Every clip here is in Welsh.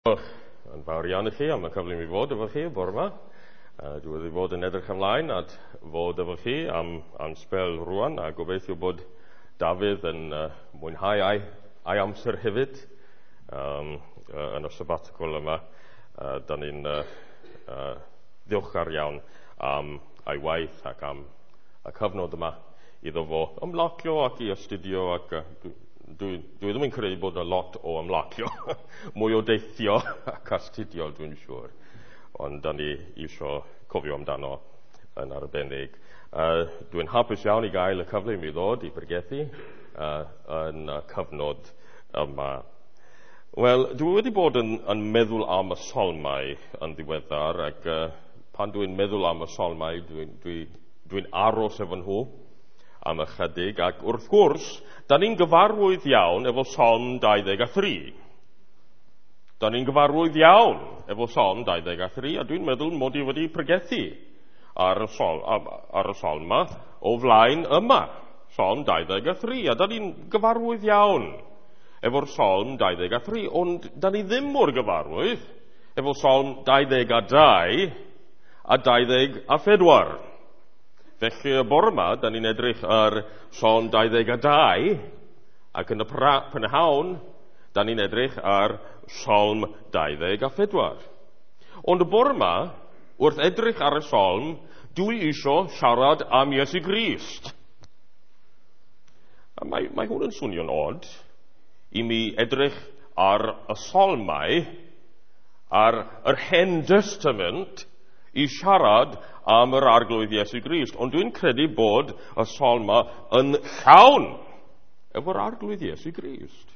Diolch yn fawr iawn i chi am y cyfle i mi fod efo chi bore yma. Dwi wedi bod yn edrych ymlaen at fod efo chi am sbel rwan, a gobeithio bod Dafydd yn mwynhau ei amser hefyd yn y sabbatical yma. Da ni'n ddiolchgar iawn am ei waith ac am y cyfnod yma iddo fo ymlacio ac i astudio, ac dwi ddim yn credu bod yna lot o ymlacio, mwy o deithio ac astudio, dwi'n siŵr. Ond da ni isio cofio amdano yn arbennig. Dwi'n hapus iawn i gael y cyfle i mi ddod i pregethu yn y cyfnod yma. Wel, dwi wedi bod yn meddwl am y salmau yn ddiweddar, ac pan dwi'n meddwl am y salmau, dwi'n aros efo nhw am ychydig, ac wrth gwrs, da ni'n gyfarwydd iawn efo Salm 23. Da ni'n gyfarwydd iawn efo Salm 23, a dwi'n meddwl mod i wedi pregethu ar y salm yma o flaen yma, Salm 23, a da ni'n gyfarwydd iawn efo'r Salm 23, ond da ni ddim mor gyfarwydd efo Salm 22 a 24. Felly y bore yma, da ni'n edrych ar Salm 22, ac yn y prynhawn, da ni'n edrych ar Salm 24. Ond y bore yma, wrth edrych ar y Salm, dwi isio siarad am Iesu Grist. A mae hwn yn swnio'n od i mi edrych ar y Salmau, ar yr Hen Testament, i siarad am yr Arglwydd Iesu Grist. Ond dwi'n credu bod y salma yn llawn efo'r Arglwydd Iesu Grist.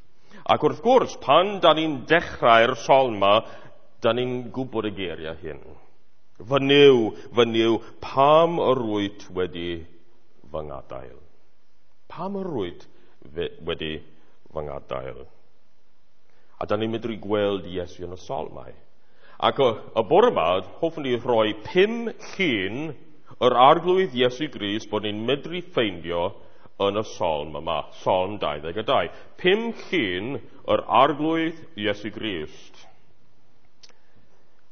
Ac wrth gwrs, pan da ni'n dechrau'r salma, da ni'n gwybod y geiriau hyn. Fy Nuw, pam yr wyt wedi fy ngadael? Pam yr wyt wedi fy ngadael? A da ni'n medru gweld Iesu yn y salmau. Ac y bore yma, hoffwn ni rhoi 5 llun yr Arglwydd Iesu Grist bod ni'n medru ffeindio yn y salm yma, Salm 22. 5 llun yr Arglwydd Iesu Grist.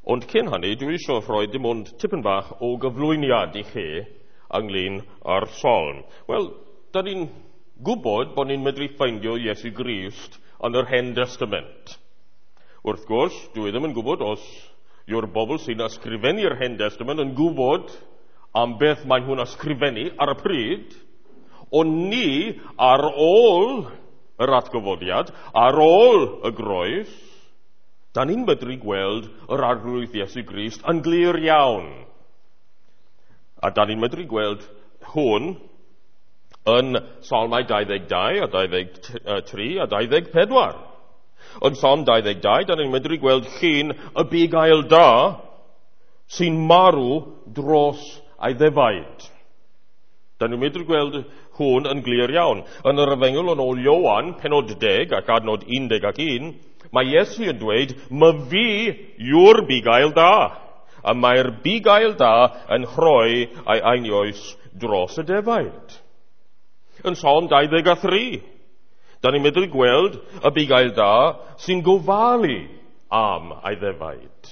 Ond cyn hynny, dwi eisiau rhoi dim ond tipyn bach o gyflwyniad i chi ynglyn â'r salm. Wel, da ni'n gwybod bod ni'n medru ffeindio Iesu Grist yn yr Hen Testament. Wrth gwrs, dwi ddim yn gwybod os yw'r bobl sy'n ysgrifennu'r Hen Testament yn gwybod am beth mae nhw'n ysgrifennu ar y pryd, ond ni, ar ôl yr atgyfodiad, ar ôl y groes, da ni'n medru gweld yr Arglwydd Iesu Grist yn glir iawn. A da ni'n medru gweld hwn yn Salmau 22 a 23 a 24. Yn Salm 22, da ni'n medru gweld llun y bugail da sy'n marw dros ei ddefaid. Da ni'n medru gweld hwn yn glir iawn. Yn yr Efengyl yn ôl Ioan, penod 10 ac adnod 11, mae Iesu yn dweud, "My fi yw'r bugail da, a mae'r bugail da yn rhoi ei einioes dros y defaid." Yn Salm 23, da ni'n medru gweld y bugail da sy'n gofalu am ei ddefaid.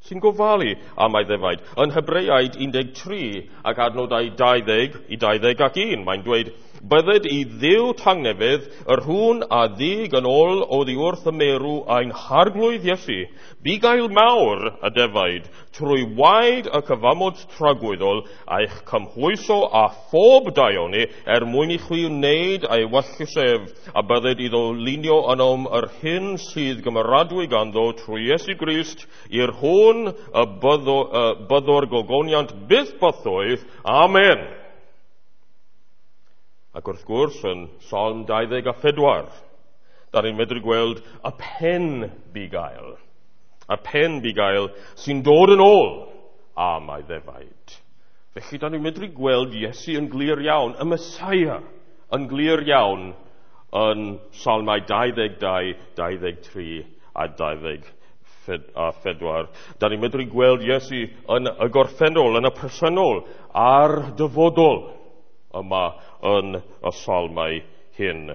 Sy'n gofalu am ei ddefaid. Yn Hebreaid 13 ac adnodau 20 i 21, mae'n dweud, "Bydded i Dduw tangnefedd yr hwn a ddig yn ôl oddi wrth y meirw ein Harglwydd Iesu, bugail mawr y defaid, trwy waed y cyfamod tragwyddol, a'ch cymhwyso â phob daioni er mwyn i chwi wneud ei wellus ef, a bydded iddo lunio ynom yr hyn sydd gymeradwy ganddo trwy Iesu Grist, i'r hwn y byddo'r gogoniant byth bythoedd. Amen." Ac wrth gwrs, yn Salm 24, da ni'n medru gweld y pen bugail. Y pen bugail sy'n dod yn ôl am ei ddefaid. Felly, da ni'n medru gweld Iesu yn glir iawn, y Mesaia yn glir iawn yn Salmau 22, 23 a 24. Da ni'n medru gweld Iesu yn y gorffennol, yn y presennol, a'r dyfodol yma yn y salmau hyn.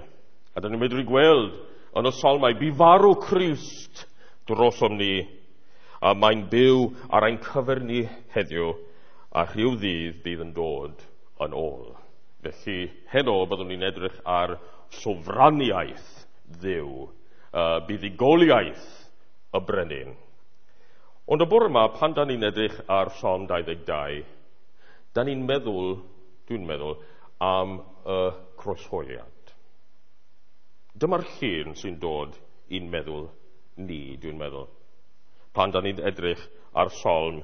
A da ni'n medru gweld yn y salmau, bu farw Crist drosom ni, a mae'n byw ar ein cyfer ni heddiw, a rhyw ddydd bydd yn dod yn ôl. Felly, heno byddwn ni'n edrych ar sofraniaeth Dduw, buddugoliaeth y brenin. Ond y bore yma, pan da ni'n edrych ar Salm 22, da ni'n meddwl, dwi'n meddwl, am y croeshoeliad. Dyma'r llun sy'n dod i'n meddwl ni, dwi'n meddwl, pan da ni'n edrych ar Salm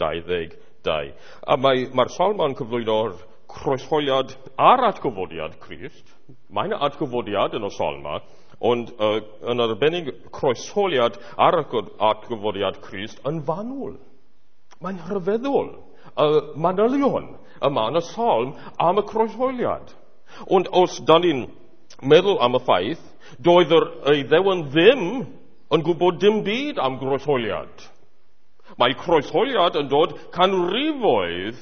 22. A mae'r Salm yma'n cyflwyno'r croeshoeliad a'r atgyfodiad Crist. Mae yna atgyfodiad yn y Salm yma, ond yn arbennig croeshoeliad a'r atgyfodiad Crist yn fanwl. Mae'n rhyfeddol y manylion yma yn y Salm am y croeshoeliad. Ond os da ni'n meddwl am y ffaith, doedd yr Iddewon ddim yn gwybod dim byd am groeshoeliad. Mae croeshoeliad yn dod canrifoedd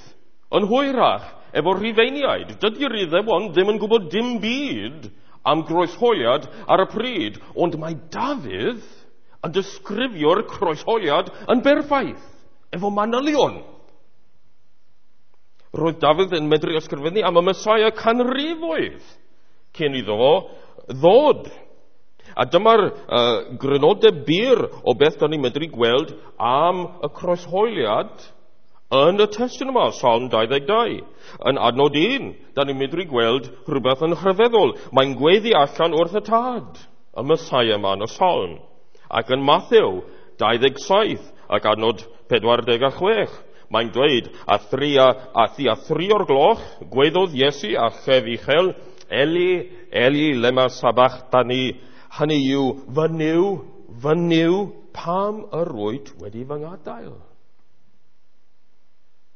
yn hwyrach efo Rhufeiniaid. Dydy'r Iddewon ddim yn gwybod dim byd am groeshoeliad ar y pryd, ond mae Dafydd yn disgrifio'r croeshoeliad yn berffaith, efo manylion. Roedd Dafydd yn medru ysgrifennu am y Mesaia canrifoedd cyn iddo fo ddod. A dyma'r grynodeb byr o beth da ni'n medru gweld am y croeshoeliad yn y testun yma, Salm 22. Yn adnod 1, da ni'n medru gweld rhywbeth yn rhyfeddol. Mae'n gweiddi allan wrth y Tad, y Mesaia yma yn y Salm. Ac yn Mathew 27 ac adnod 46, mae'n dweud, a thri a thri o'r gloch, gweiddodd Iesu a chef uchel, Eli, Eli, lema sabachthani, hynny yw, fy Nuw, fy Nuw, pam yr wyt wedi fy ngadael?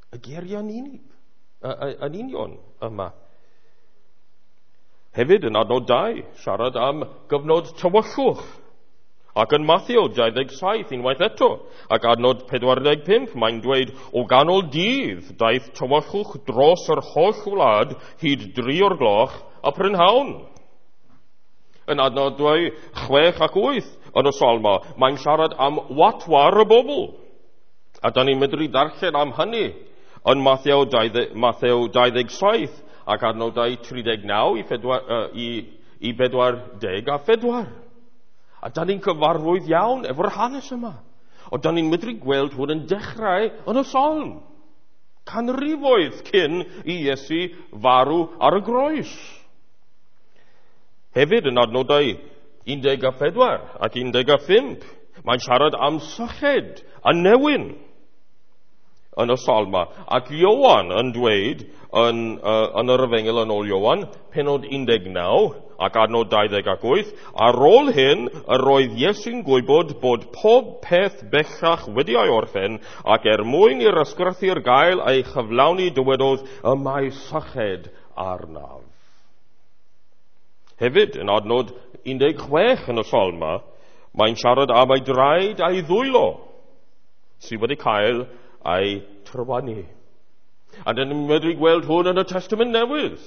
Y geiriau yn unig, yn union yma. Hefyd yn adnod 2, siarad am gyfnod tywyllwch. Ac yn Mathew 27, unwaith eto, ac adnod 45, mae'n dweud, o ganol dydd daeth tywyllwch dros yr holl wlad hyd 3 o'r gloch a prynhawn. Yn adnodau 6 ac 8 yn y Salma, mae'n siarad am watwar y bobl. A da ni'n medru darllen am hynny yn Mathew 27 ac adnodau 39 i 44. A da ni'n cyfarwydd iawn efo'r hanes yma. Ond da ni'n medru gweld hwn yn dechrau yn y Salm. Canrifoedd cyn i Iesu farw ar y groes. Hefyd yn adnodau 14 ac 15, mae'n siarad am syched a newyn yn y Salma. Ac Ioan yn dweud yn yr Efengyl yn ôl Ioan, penod 19 ac adnod 28, ar ôl hyn yr oedd Iesu'n gwybod bod pob peth bellach wedi ei orffen, ac er mwyn i'r ysgrythur gael ei chyflawni dywedodd, y mae syched arnaf. Hefyd, yn adnod 16 yn y Salma, mae'n siarad am ei draed a'i ddwylo, sydd wedi cael ei trywanu. A dyn ni'n medru gweld hwn yn y Testament Newydd.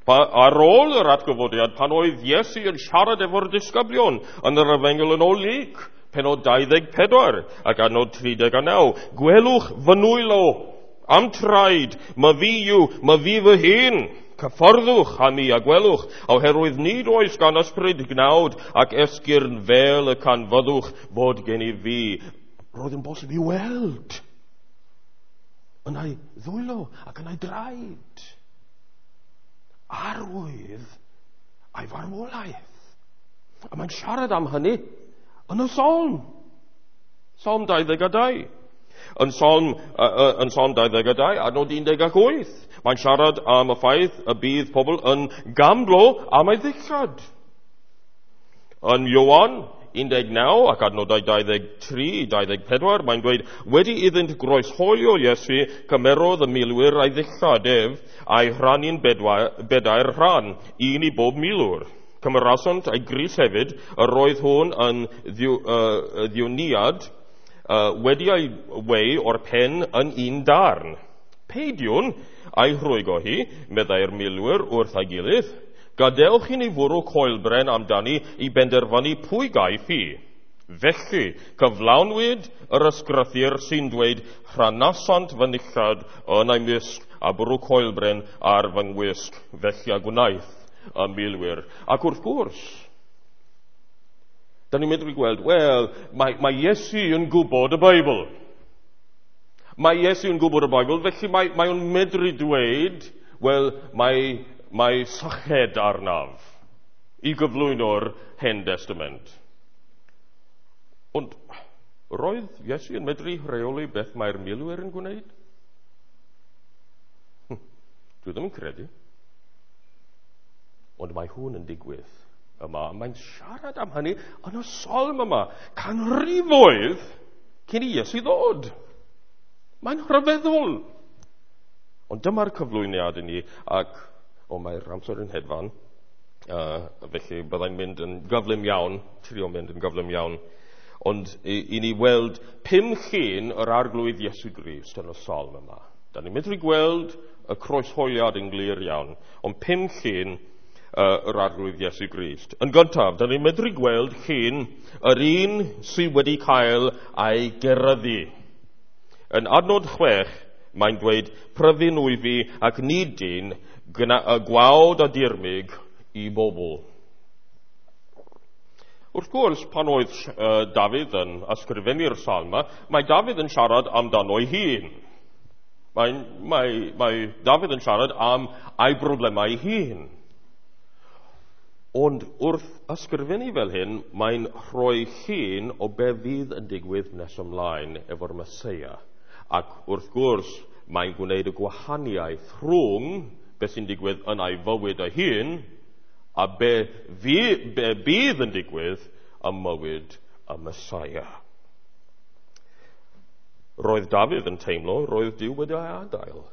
Ar ôl yr atgyfodiad, pan oedd Iesu yn siarad efo'r disgyblion yn yr Efengyl yn ôl Luc, penod 24 ac adnod 39, gwelwch fy nwylo am traed, ma fi yw, ma fi fy hun. Cyfforddwch â mi a gwelwch, oherwydd nid oes gan ysbryd gnawd ac esgyrn fel y canfyddwch fod gen i fi. Roedd yn bosib i weld yn ei ddwylo ac yn ei draed arwydd a'i farwolaeth. A mae'n siarad am hynny yn y Salm. Salm 22. Yn Salm 22, adnod 18, mae'n siarad am y ffaith y bydd pobl yn gamblo am ei ddillad. Yn Ioan 19 ac adnodau 23, 24, mae'n dweud, wedi iddynt groeshoelio Iesu, cymerodd y milwyr a'i ddillad ef, a'i rhannu'n bedair rhan, un i bob milwr. Cymerasant ei grys hefyd, yr oedd hwn yn ddiwniad, wedi ei wei o'r pen yn un darn. Peidiwn a'i rhwygo hi, meddai'r milwyr wrth ei gilydd, gadewch i ni fwrw coelbren amdani i benderfynu pwy gaiff hi. Felly, cyflawnwyd yr ysgrythur sy'n dweud rhanasant fy nillad yn ei mysg a bwrw coelbren ar fy ngwisg, felly a gwnaeth y milwyr. Ac wrth gwrs, da ni'n medru gweld, wel, mae Iesu yn gwybod y Beibl. Mae Iesu yn gwybod y Beibl, felly mae o'n medru dweud, wel, mae syched arnaf i gyflwyno'r Hen Testament. Ond roedd Iesu yn medru rheoli beth mae'r milwyr yn gwneud? Dwi ddim yn credu. Ond mae hwn yn digwydd yma. Mae'n siarad am hynny yn y salm yma. Canrifoedd cyn i Iesu ddod. Mae'n rhyfeddol. Ond dyma'r cyflwyniad i ni, ac mae'r amser yn hedfan, felly byddai'n mynd yn gyflym iawn, trio mynd yn gyflym iawn. Ond i ni weld 5 llun yr Arglwydd Iesu Grist yn y salm yma. Da ni'n medru gweld y croeshoeliad yn glir iawn, ond 5 llun yr Arglwydd Iesu Grist. Yn gyntaf, da ni'n medru gweld llun yr un sydd wedi cael ei geryddu. Yn adnod 6, mae'n dweud, pryfyn wyf fi ac nid dyn, gwawd a dirmyg i bobl. Wrth gwrs, pan oedd Dafydd yn ysgrifennu'r salm yma, mae Dafydd yn siarad amdano'i hun. Mae Dafydd yn siarad am ei broblemau ei hun. Ond wrth ysgrifennu fel hyn, mae'n rhoi llun o be fydd yn digwydd nes ymlaen efo'r Meseia. Ac wrth gwrs, mae'n gwneud y gwahaniaeth rhwng beth sy'n digwydd yn ei fywyd ei hun a be bydd yn digwydd ym mywyd y Meseia. Roedd Dafydd yn teimlo roedd Duw wedi ei adael.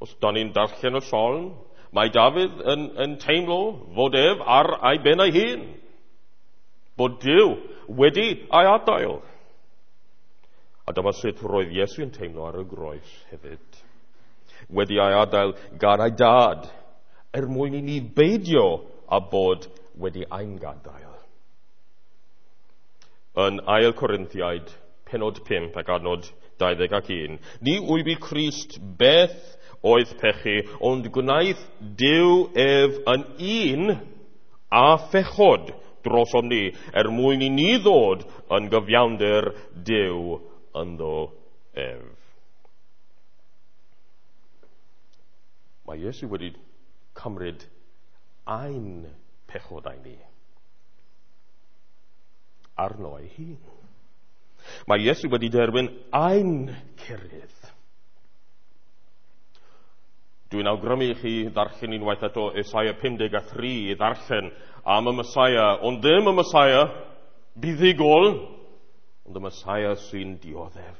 Os da ni'n darllen y salm, mae Dafydd yn teimlo fod ef ar ei ben ei hun. Bod Duw wedi ei adael. A dyma sut roedd Iesu yn teimlo ar y groes hefyd. Wedi ei adael gan ei dad, er mwyn i ni beidio a bod wedi ein gadael. Yn 2 Corinthiaid, penod 5 ac adnod 21. Ni wybu Crist beth oedd pechu, ond gwnaeth Duw ef yn un a phechod drosom ni, er mwyn i ni ddod yn gyfiawnder Duw ynddo ef. Mae Iesu wedi cymryd ein pechodau ni arno ei hun. Mae Iesu wedi derbyn ein cerydd. Dwi'n awgrymu i chi ddarllen unwaith eto Esaia 53 i ddarllen am y Meseia, ond ddim y Meseia buddugol, ond y Meseia sy'n dioddef.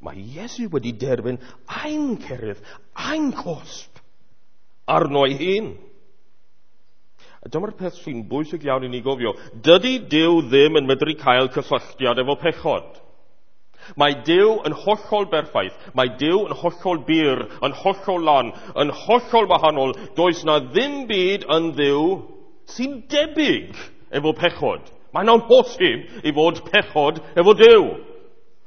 Mae Iesu wedi derbyn ein cerydd, ein cosb arno ei hun. A dyma'r peth sy'n bwysig iawn i ni gofio. Dydy Duw ddim yn medru cael cysylltiad efo pechod. Mae Duw yn hollol berffaith. Mae Duw yn hollol bur, yn hollol lan, yn hollol wahanol. Does na ddim byd yn Dduw sy'n debyg efo pechod. Mae'n amhosib i fod pechod efo Duw.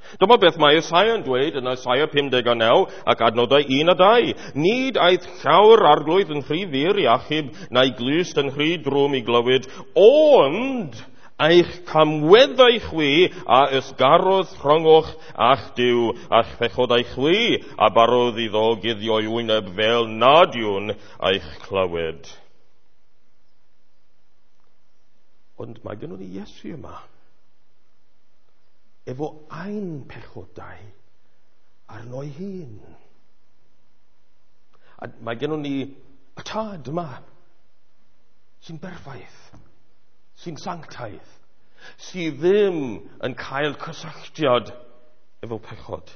Dyma beth mae Esaia yn dweud yn Esaia 59 ac adnodau 1 a 2. Nid aeth llaw'r arglwydd yn rhy fyr i achub, na'i glust yn rhy drwm i glywed, ond eich camweddau chwi a ysgarodd rhyngoch a'ch Duw, a'ch pechodau chwi a barodd iddo guddio'i wyneb fel nad yw'n eich clywed. Ond mae gennym ni Iesu yma, efo ein pechodau arno'i hun. A mae gennym ni y tad yma, sy'n berffaith, sy'n sanctaidd, sydd ddim yn cael cysylltiad efo pechod.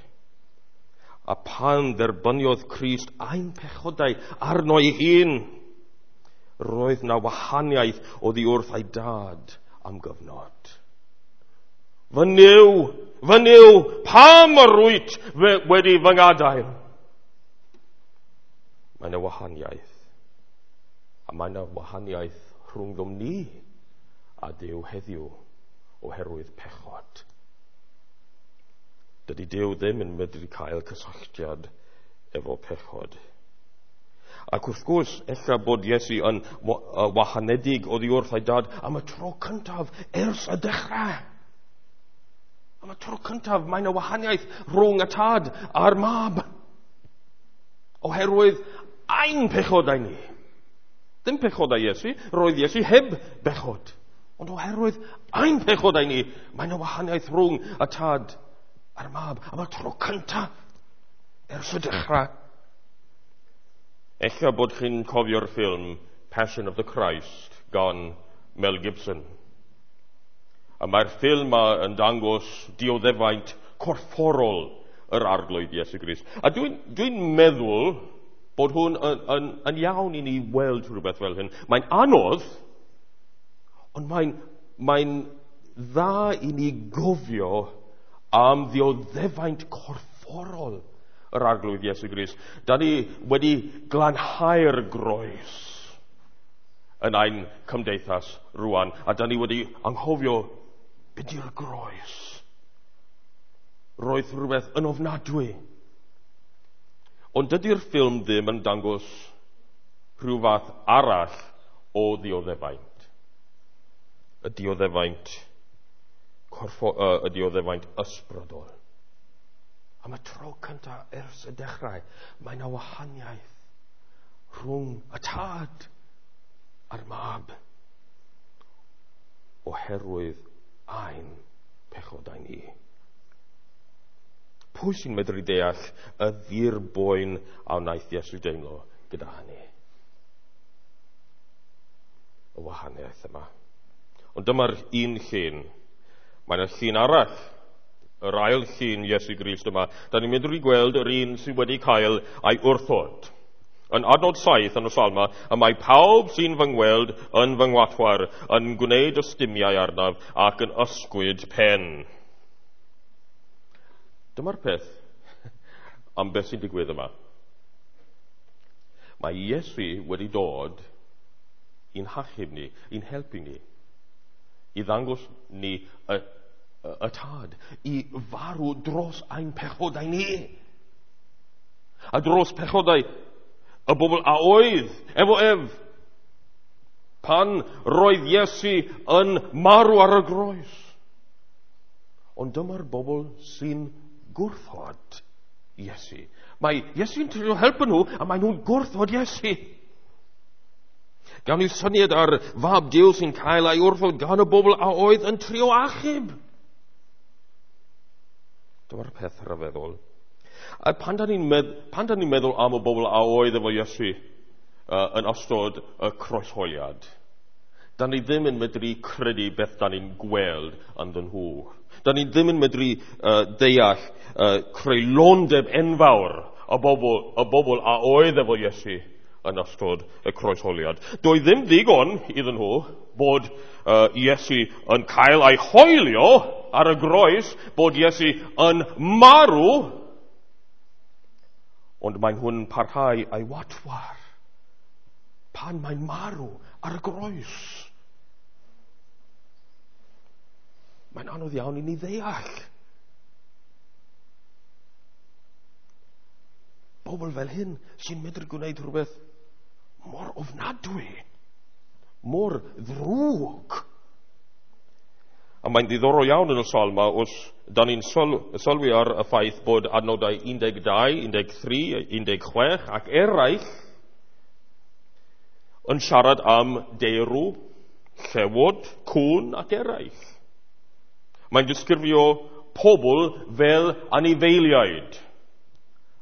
A pan dderbyniodd Crist ein pechodau arno'i hun, roedd na wahaniaeth oddi wrth ei dad am gyfnod. Fy Nuw, pam yr wyt wedi fy ngadael? Mae yna wahaniaeth. A mae yna wahaniaeth rhwngddom ni a Duw heddiw oherwydd pechod. Dydy Duw ddim yn medru cael cysylltiad efo pechod. Ac wrth gwrs, ella bod Iesu yn wahanedig oddi wrth ei dad am y tro cyntaf ers y dechrau. Am y tro cyntaf, mae yna wahaniaeth rhwng y tad a'r mab. Oherwydd ein pechodau ni. Ddim pechodau Iesu, roedd Iesu heb bechod. Ond oherwydd ein pechodau ni, mae yna wahaniaeth rhwng y tad a'r mab am y tro cyntaf ers y dechrau. Ella bod chi'n cofio'r ffilm Passion of the Christ gan Mel Gibson. A mae'r ffilm ma yn dangos dioddefaint corfforol yr Arglwydd Iesu Grist. A dwi'n meddwl bod hwn yn iawn i ni weld rhywbeth fel hyn. Mae'n anodd, ond mae'n dda i ni gofio am ddioddefaint corfforol yr Arglwydd Iesu Grist. Da ni wedi glanhau'r groes yn ein cymdeithas rwan, a da ni wedi anghofio beth yw'r groes. Roedd rhywbeth yn ofnadwy. Ond dydy'r ffilm ddim yn dangos rhyw fath arall o ddioddefaint. Y dioddefaint y dioddefaint ysbrydol. Am y tro cyntaf ers y dechrau, mae yna wahaniaeth rhwng y tad a'r mab oherwydd ein pechodau ni. Pwy sy'n medru deall y ddirboen a wnaeth Iesu deimlo gyda hynny? Y wahaniaeth yma. Ond dyma'r un llun. Mae yna llun arall, yr ail llun Iesu Grist yma. Da ni'n medru gweld yr un sydd wedi cael ei wrthod. Yn adnod 7 yn y Salma, y mae pawb sy'n fy ngweld yn fy ngwatwar, yn gwneud ystumiau arnaf ac yn ysgwyd pen. Dyma'r peth am beth sy'n digwydd yma. Mae Iesu wedi dod i'n hachub ni, i'n helpu ni, i ddangos ni y tad, i farw dros ein pechodau ni. A dros pechodau y bobl a oedd efo ef pan roedd Iesu yn marw ar y groes. Ond dyma'r bobl sy'n gwrthod Iesu. Mae Iesu'n trio helpu nhw a mae nhw'n gwrthod Iesu. Gawn ni syniad ar fab Duw sy'n cael ei wrthod gan y bobl a oedd yn trio achub. Dyma'r peth rhyfeddol. A pan da ni'n meddwl am y bobl a oedd efo Iesu yn ystod y croeshoeliad, da ni ddim yn medru credu beth da ni'n gweld ynddyn nhw. Da ni ddim yn medru deall creulondeb enfawr y bobl a oedd efo Iesu yn ystod y croeshoeliad. Doedd ddim ddigon iddyn nhw bod Iesu yn cael ei hoelio ar y groes, bod Iesu yn marw, ond mae nhw'n parhau ei watwar pan mae'n marw ar y groes. Mae'n anodd iawn i ni ddeall. Bobl fel hyn sy'n medru gwneud rhywbeth mor ofnadwy, mor ddrwg. A mae'n ddiddorol iawn yn y Salma os da ni'n sylwi ar y ffaith bod adnodau 12, 13, 16 ac eraill yn siarad am deirw, llewod, cŵn ac eraill. Mae'n disgrifio pobl fel anifeiliaid.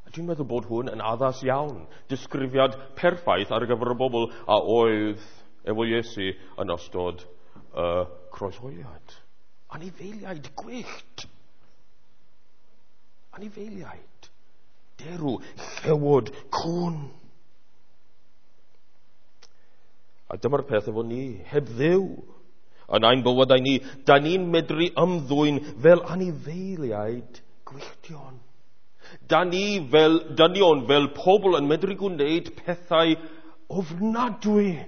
A dwi'n meddwl bod hwn yn addas iawn. Disgrifiad perffaith ar gyfer y bobl a oedd efo Iesu yn ystod y croeshoeliad. Anifeiliaid gwyllt. Anifeiliaid. Derw, llewod, cŵn. A dyma'r peth efo ni, heb Dduw. Yn ein bywydau ni, da ni'n medru ymddwyn fel anifeiliaid gwylltion. Da ni fel dynion, fel pobl yn medru gwneud pethau ofnadwy.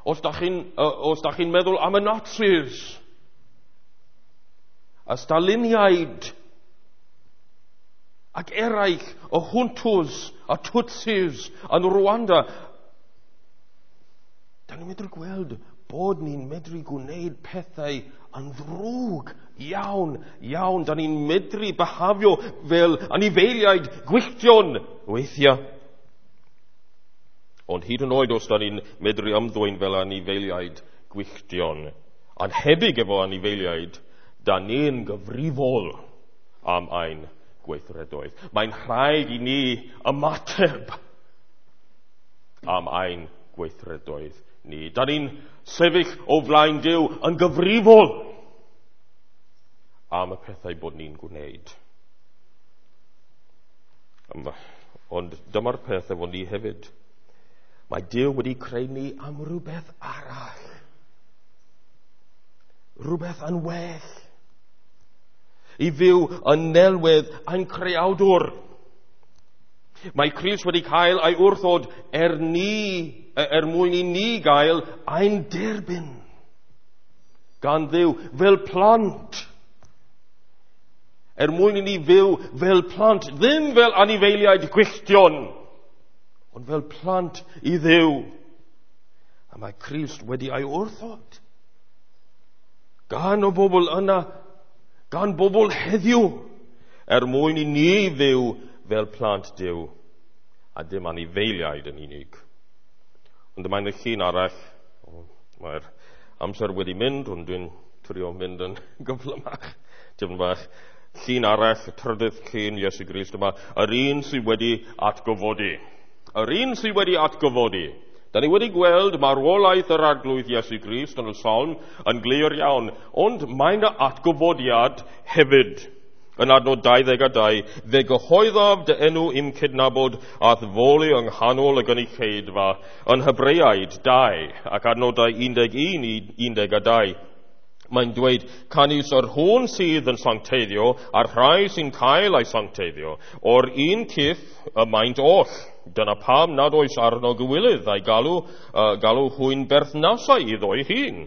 Os da chi'n meddwl am y Nazis, y Staliniaid, ac eraill, y Hutus, y Tutsis, yn Rwanda, da ni'n medru gweld bod ni'n medru gwneud pethau yn ddrwg iawn, iawn. Da ni'n medru byhafio fel anifeiliaid gwylltion weithiau. Ond hyd yn oed os da ni'n medru ymddwyn fel anifeiliaid gwylltion, anhebyg efo anifeiliaid, da ni'n gyfrifol am ein gweithredoedd. Mae'n rhaid i ni ymateb am ein gweithredoedd ni. Da ni'n sefyll o flaen Duw yn gyfrifol am y pethau bod ni'n gwneud. Ond dyma'r peth efo ni hefyd. Mae Duw wedi creu ni am rhywbeth arall. Rhywbeth yn well. I fyw yn nelwedd ein creawdwr. Mae Crist wedi cael ei wrthod er mwyn i ni gael ein derbyn gan Dduw fel plant. Er mwyn i ni fyw fel plant, ddim fel anifeiliaid gwylltion, ond fel plant i Dduw. A mae Crist wedi ei wrthod gan y bobl yna, gan bobl heddiw, er mwyn i ni fyw fel plant Duw, a dim anifeiliaid yn unig. Ond mae'n y llun arall, mae'r amser wedi mynd, ond dwi'n trio mynd yn gyflymach, tipyn bach. Llun arall, y trydydd llun Iesu Grist yma, yr un sydd wedi atgyfodi. Yr un sydd wedi atgyfodi. Da ni wedi gweld marwolaeth yr Arglwydd Iesu Grist yn y Salm yn glir iawn, ond mae yna atgyfodiad hefyd. Yn adnod 22, fe gyhoeddaf dy enw i'm cydnabod a'th foli yng nghanol y gynulleidfa yn Hebreaid 2 ac adnodau 11 i 12. Mae'n dweud, canys yr hwn sydd yn sancteiddio a'r rhai sy'n cael ei sancteiddio, o'r un cyff y maent oll. Dyna pam nad oes arno gywilydd a'i galw hwy'n berthnasau iddo'i hun.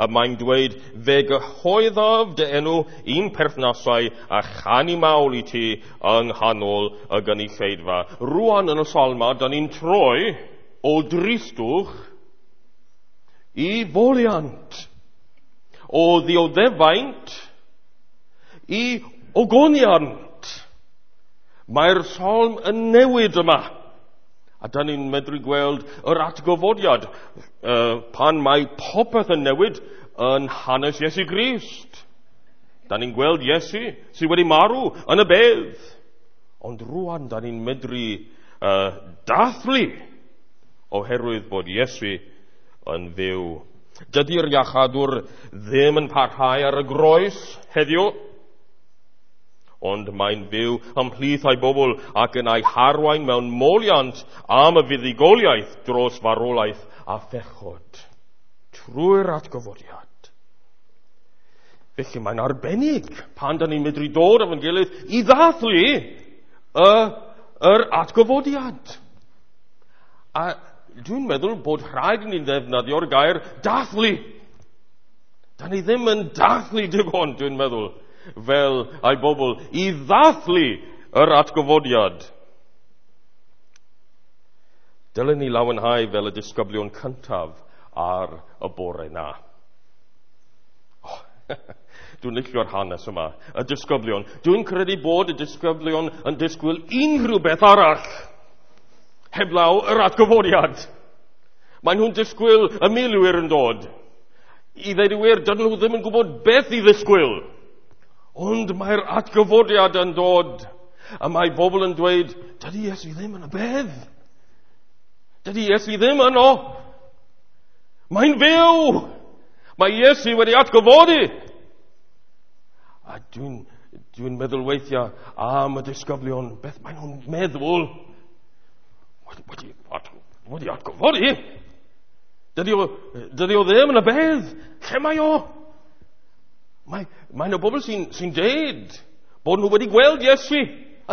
A mae'n dweud, fe gyhoeddaf dy enw i'n perthnasau a chanu mawl i ti yng nghanol y gynulleidfa. Rwan yn y Salma, da ni'n troi o dristwch i foliant, o ddioddefaint i ogoniant. Mae'r salm yn newid yma. A da ni'n medru gweld yr atgyfodiad pan mae popeth yn newid yn hanes Iesu Grist. Da ni'n gweld Iesu sydd wedi marw yn y bedd. Ond rwan da ni'n medru dathlu oherwydd bod Iesu yn fyw. Dydy'r iachadwr ddim yn parhau ar y groes heddiw, ond mae'n byw ymhlith ei bobl ac yn ei harwain mewn moliant am y fuddugoliaeth dros farwolaeth a phechod trwy'r atgyfodiad. Felly mae'n arbennig pan da ni'n medru dod efo'n gilydd i ddathlu yr atgyfodiad. A dwi'n meddwl bod rhaid i ni ddefnyddio'r gair dathlu. Da ni ddim yn dathlu digon, dwi'n meddwl, fel ei bobl, i ddathlu yr atgyfodiad. Dylen ni lawenhau fel y disgyblion cyntaf ar y bore na. Oh, dwi'n licio'r hanes yma, y disgyblion. Dwi'n credu bod y disgyblion yn disgwyl unrhyw beth arall heblaw yr atgyfodiad. Mae nhw'n disgwyl y milwyr yn dod. I ddweud y gwir, dydyn nhw ddim yn gwybod beth i ddisgwyl. Ond mae'r atgyfodiad yn dod. A mae bobl yn dweud, dydy Iesu ddim yn y bedd. Dydy Iesu ddim yno. Mae'n fyw. Mae Iesu wedi atgyfodi. A dwi'n meddwl weithiau am y disgyblion, beth maen nhw'n meddwl? Wedi atgyfodi? Dydy o ddim yn y bedd. Lle mae o? Mae yna bobl sy'n deud bod nhw wedi gweld Iesu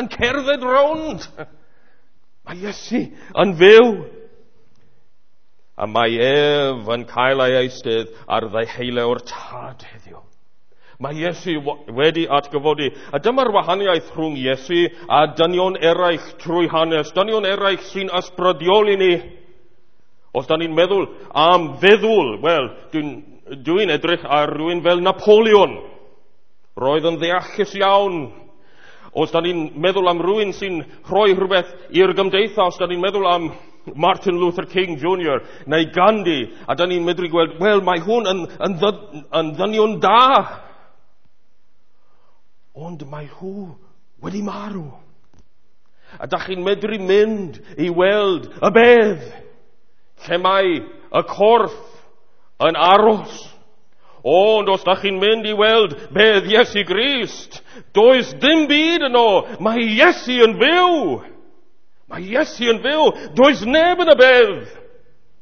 yn cerdded rownd. Mae Iesu yn fyw. A mae ef yn cael ei eistedd ar ddeheulaw'r Tad heddiw. Mae Iesu wedi atgyfodi. A dyma'r wahaniaeth rhwng Iesu a dynion eraill trwy hanes, dynion eraill sy'n ysbrydioli ni. Os da ni'n meddwl am feddwl, wel, dwi'n edrych ar rhywun fel Napoleon. Roedd yn ddeallus iawn. Os da ni'n meddwl am rhywun sy'n rhoi rhywbeth i'r gymdeithas, da ni'n meddwl am Martin Luther King Jr. neu Gandhi, a da ni'n medru gweld, wel, mae hwn yn ddynion da. Ond mae nhw wedi marw. A da chi'n medru mynd i weld y bedd, lle mae y corff yn aros. Ond os da chi'n mynd i weld bedd Iesu Grist, does dim byd yno. Mae Iesu yn fyw. Mae Iesu yn fyw. Does neb yn y bedd.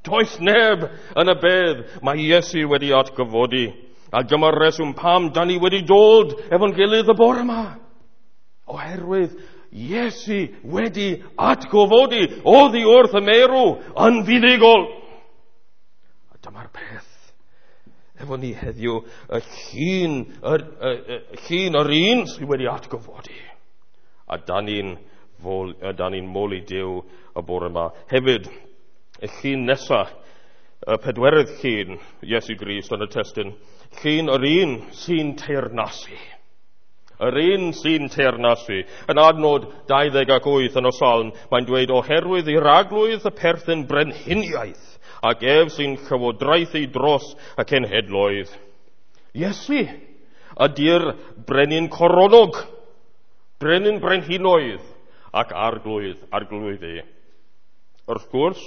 Does neb yn y bedd. Mae Iesu wedi atgyfodi. A dyma'r reswm pam da ni wedi dod efo'n gilydd y bore yma. Oherwydd Iesu wedi atgyfodi oddi wrth y meirw yn fuddugol. A dyma'r peth efo ni heddiw, y llun yr un sydd wedi atgyfodi. A da ni'n moli Duw y bore yma. Hefyd, y llun nesaf, y pedwerydd llun Iesu Grist yn y testun, llun yr un sy'n teyrnasu. Yr un sy'n teyrnasu. Yn adnod 28 yn y Salm, mae'n dweud, oherwydd i'r Arglwydd y perthyn brenhiniaeth, ac ef sy'n llywodraethu dros y cenhedloedd. Iesu ydy'r brenin coronog, brenin brenhinoedd, ac arglwydd arglwyddi. Wrth gwrs,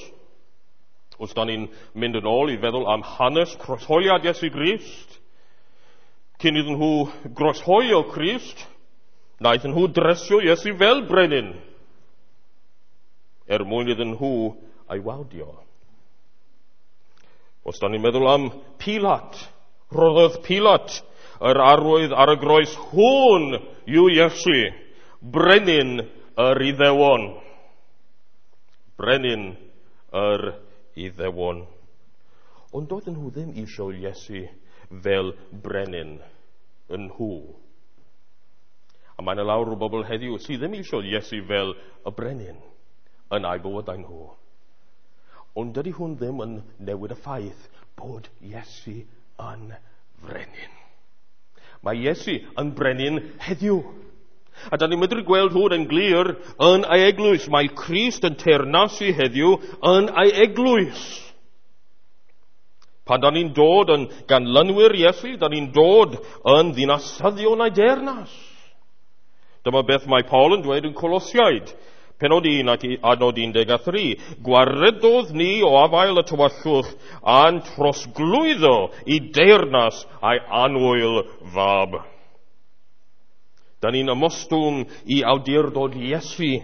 os da ni'n mynd yn ôl i feddwl am hanes croeshoeliad Iesu Grist, cyn iddyn nhw groeshoelio Crist, wnaethon nhw dresio Iesu fel brenin, er mwyn iddyn nhw ei wawdio. Os da ni'n meddwl am Pilat, rhoddodd Pilat yr arwydd ar y groes, hwn yw Iesu, brenin yr Iddewon. Brenin yr Iddewon. Ond doedden nhw ddim eisiau Iesu fel brenin yn nhw. A mae yna lawer o bobl heddiw sydd ddim eisiau Iesu fel y brenin yn eu bywydau nhw. Ond dydy hwn ddim yn newid y ffaith bod Iesu yn frenin. Mae Iesu yn brenin heddiw. A da ni'n medru gweld hwn yn glir yn ei eglwys. Mae Crist yn teyrnasu heddiw yn ei eglwys. Pan da ni'n dod yn ganlynwyr Iesu, da ni'n dod yn ddinasyddion ei deyrnas. Dyma beth mae Paul yn dweud yn Colosiaid, penod 1 ac adnod 13. Gwaredodd ni o afael y tywyllwch a'n trosglwyddo i deyrnas a'i annwyl fab. Da ni'n ymostwng i awdurdod Iesu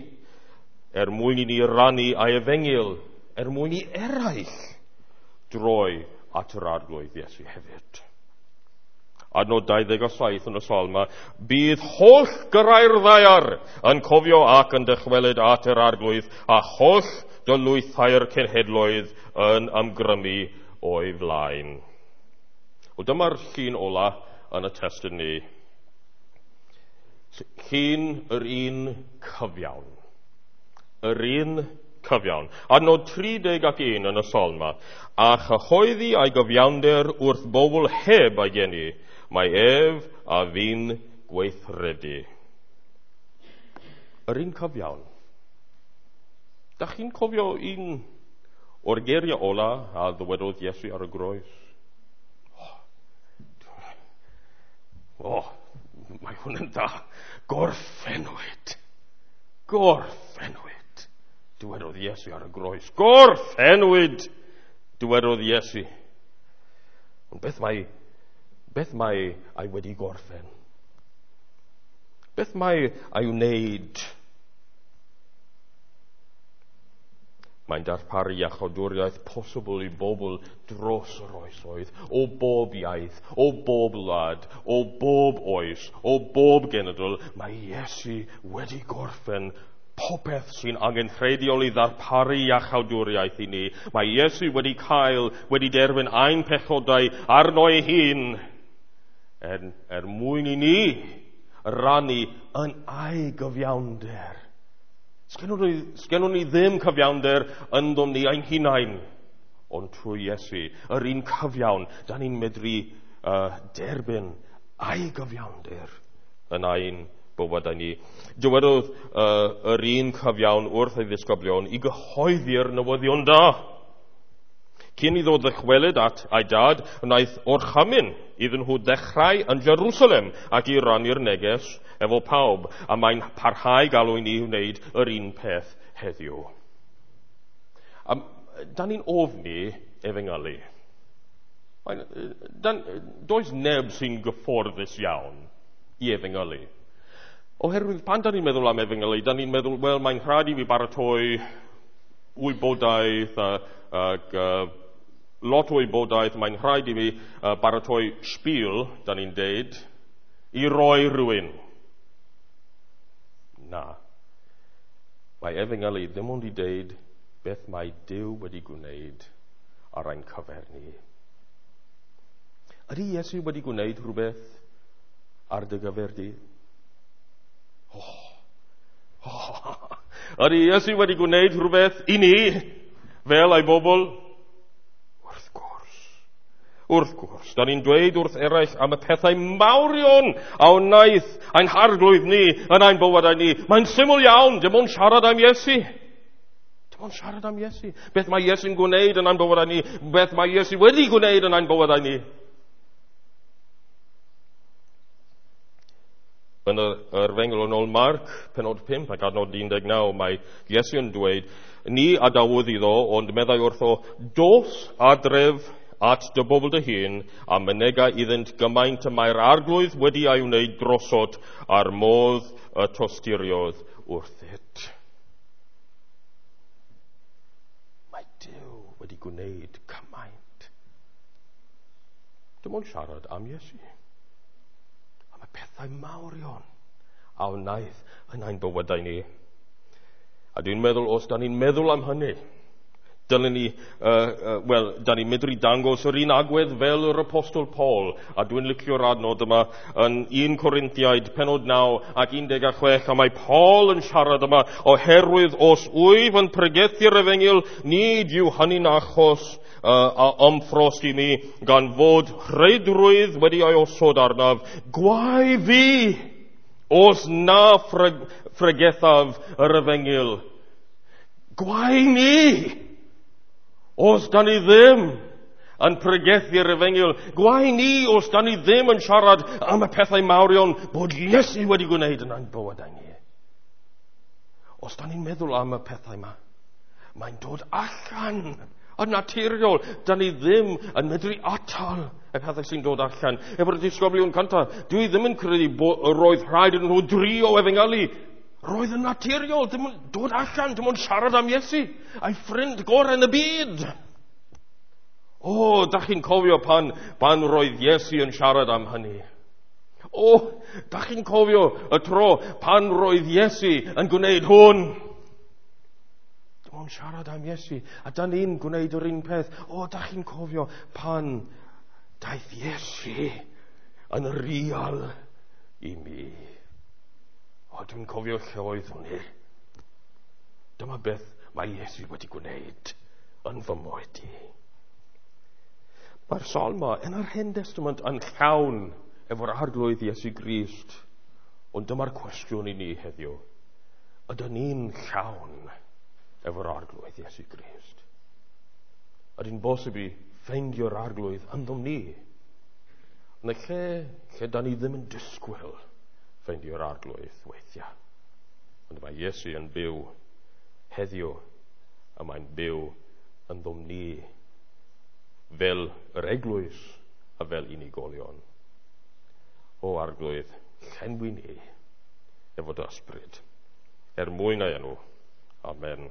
er mwyn i ni rannu ei efengyl, er mwyn i eraill droi at yr Arglwydd Iesu hefyd. Adnod 27 yn y Salm, bydd holl gyrrau'r ddaear yn cofio ac yn dychwelyd at yr Arglwydd, a holl dylwythau'r cenhedloedd yn ymgrymu o'i flaen. Wel, dyma'r llun ola yn y testun ni. Llun yr un cyfiawn. Yr un cyfiawn. Adnod 31 yn y Salm, a chyhoeddi ei gyfiawnder wrth bobl heb ei geni, mae ef a fi'n gweithredu. Yr un cyfiawn. Da chi'n cofio un o'r geiriau ola a ddywedodd Iesu ar y groes? Oh, mae hwn yn dda. Gorffennwyd. Gorffennwyd. Dywedodd Iesu ar y groes. Gorffennwyd. Dywedodd Iesu. Ond beth mae ei wedi gorffen? Beth mae ei wneud? Mae'n darparu iachawdwriaeth posibl i bobl dros yr oesoedd, o bob iaith, o bob wlad, o bob oes, o bob genedl. Mae Iesu wedi gorffen popeth sy'n angenrheidiol i ddarparu iachawdwriaeth i ni. Mae Iesu wedi cael, wedi derbyn ein pechodau arno ei hun er mwyn i ni rannu yn ei gyfiawnder. Sgennwn ni ddim cyfiawnder ynddom ni ein hunain, ond trwy Iesu, yr un cyfiawn, da ni'n medru derbyn ei gyfiawnder yn ein bywydau ni. Dywedodd yr un cyfiawn wrth ei ddisgyblion i gyhoeddi'r newyddion da. Cyn iddo ddychwelyd at ei dad, wnaeth orchymyn iddyn nhw ddechrau yn Jerusalem ac i rannu'r neges efo pawb, a mae'n parhau galw i ni wneud yr un peth heddiw. A da ni'n ofni efengylu. Does neb sy'n gyfforddus iawn i efengylu. Oherwydd pan da ni'n meddwl am efengylu, da ni'n meddwl, wel, mae'n rhaid i mi baratoi wybodaeth ac lot o wybodaeth, mae'n rhaid i mi baratoi spiel, da ni'n deud, i roi rhywun. Na. Mae efengylu ddim ond i deud beth mae Duw wedi gwneud ar ein cyfer ni. Ydy Iesu wedi gwneud rhywbeth ar dy gyfer di? Oh. Ydy Iesu wedi gwneud rhywbeth i ni fel ei bobl? Wrth gwrs. Wrth gwrs. Da ni'n dweud wrth eraill am y pethau mawrion a wnaeth ein harglwydd ni yn ein bywydau ni. Mae'n syml iawn, dim ond siarad am Iesu. Dim ond siarad am Iesu. Beth mae Iesu'n gwneud yn ein bywydau ni? Beth mae Iesu wedi gwneud yn ein bywydau ni? Yn yr Efengyl yn ôl Marc, penod 5 ac adnod 19, mae Iesu yn dweud, ni adawodd iddo, ond meddai wrtho, dos adref at dy bobl dy hun, a mynega iddynt gymaint y mae'r arglwydd wedi ei wneud drosot a'r modd y tosturiodd wrthyt. Mae Duw wedi gwneud cymaint. Dim ond siarad am Iesu. Am y pethau mawrion a wnaeth yn ein bywydau ni. A dwi'n meddwl, os da ni'n meddwl am hynny, dylen ni, da ni'n medru dangos yr un agwedd fel yr Apostol Paul, a dwi'n licio'r adnod yma yn 1 Corinthiaid, penod 9 ac 16, a mae Paul yn siarad yma, oherwydd os wyf yn pregethu'r efengyl, nid yw hynny'n achos a ymffrost i mi, gan fod rheidrwydd wedi ei osod arnaf, gwae fi, os na phregethaf yr efengyl. Gwae ni! Os da ni ddim yn pregethu'r efengyl, gwae ni os da ni ddim yn siarad am y pethau mawrion bod Iesu wedi gwneud yn ein bywydau ni. Os da ni'n meddwl am y pethau yma, mae'n dod allan yn naturiol. Da ni ddim yn medru atal y pethau sy'n dod allan. Efo'r disgyblion cyntaf, dwi ddim yn credu roedd rhaid iddyn nhw drio efengylu. Roedd yn naturiol, dim ond dod allan, dim ond siarad am Iesu, a'i ffrind gorau yn y byd. O, da chi'n cofio pan roedd Iesu yn siarad am hynny? O, da chi'n cofio y tro pan roedd Iesu yn gwneud hwn? Dim ond siarad am Iesu, a da ni'n gwneud yr un peth. O, da chi'n cofio pan daeth Iesu yn real i mi? O, dwi'n cofio lle oeddwn i. Dyma beth mae Iesu wedi gwneud yn fy mywyd i. Mae'r salm yma yn yr Hen Testament yn llawn efo'r arglwydd Iesu Grist. Ond dyma'r cwestiwn i ni heddiw. Ydyn ni'n llawn efo'r arglwydd Iesu Grist? Ydy'n bosib i ffeindio'r arglwydd ynddom ni? Yn y lle da ni ddim yn disgwyl ffeindio'r arglwydd weithiau. Ond mae Iesu yn byw heddiw, a mae'n byw ynddom ni fel yr eglwys a fel unigolion. O arglwydd, llenwi ni efo dy ysbryd, er mwyn ei enw. Amen.